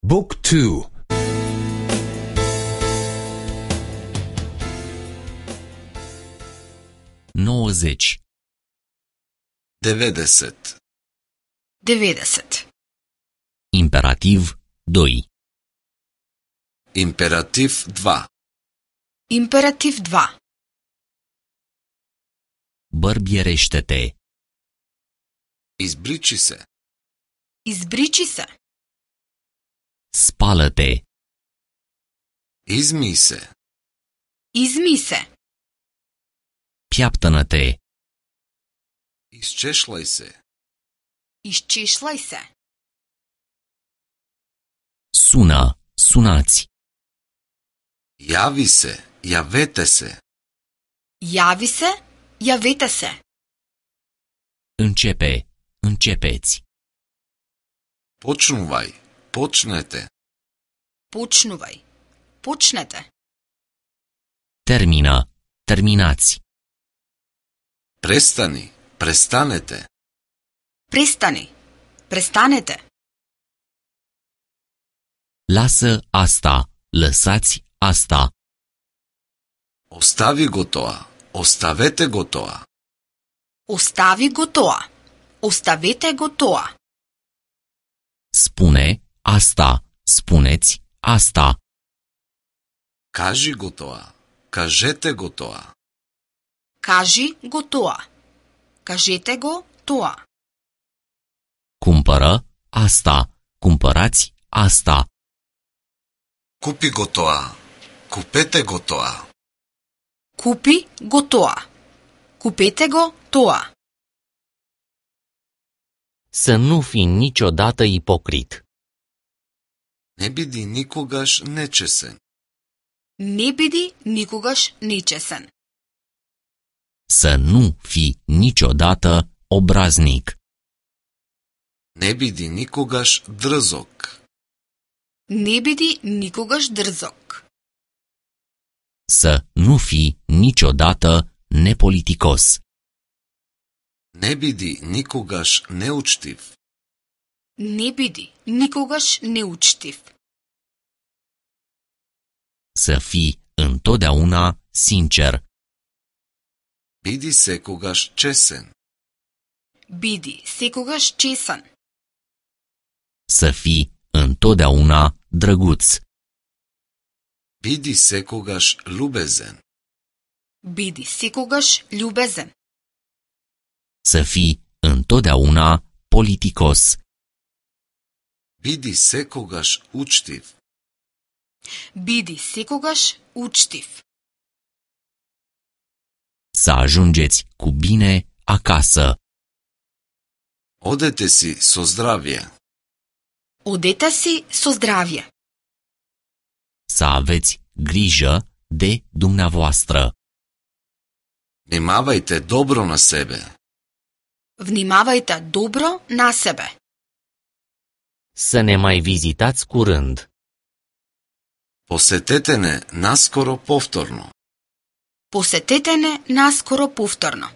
Book 2. Nouăzeci. 90. 90. Imperativ 2. Imperativ 2. Императив 2. Bărbierește-te. Избричи се. Избричи се. Spală-te. Измий се. Измий се. Piaptănă-te. Изчешлај се. Изчешлај се. Sună. Sunați. Јави се. Јавете се. Јави се. Јавете се. Începe. Începeți. Почнувај. Почнете. Почнувај. Почнете. Termină. Terminați. Престани. Престанете. Престани. Престанете. Lasă asta. Lăsați asta. Остави го тоа. Оставете го тоа. Остави го тоа. Оставете го тоа. Spune asta. Spuneți asta. Кажи го тоа. Кажете го тоа. Кажи го тоа. Кажете го тоа. Cumpără asta. Cumpărați asta. Купи го тоа. Купете го тоа. Купи го тоа. Купете го тоа. Să nu fii niciodată ipocrit. Не биди никогаш нечесен. Не биди никогаш нечесен. Să nu fii niciodată obraznic. Не биди никогаш дрзок. Не биди никогаш дрзок. Să nu fii niciodată nepoliticos. Не биди никогаш неучтив. Не биди никогаш неучтив. Să fii întotdeauna sincer. Биди секогаш чесен. Биди секогаш чесен. Să fii întotdeauna drăguț. Биди секогаш љубезен. Биди секогаш љубезен. Să fii întotdeauna politicos. Биди секогаш учтив. Биди секогаш учтив. Să ajungeți cu bine acasă. Одете си со здравје. Одете си со здравје. Să aveți grijă de dumneavoastră. Внимавајте добро на себе. Внимавајте добро на себе. Să ne mai vizitați curând. Посетете не наскоро повторно. Посетете не наскоро повторно.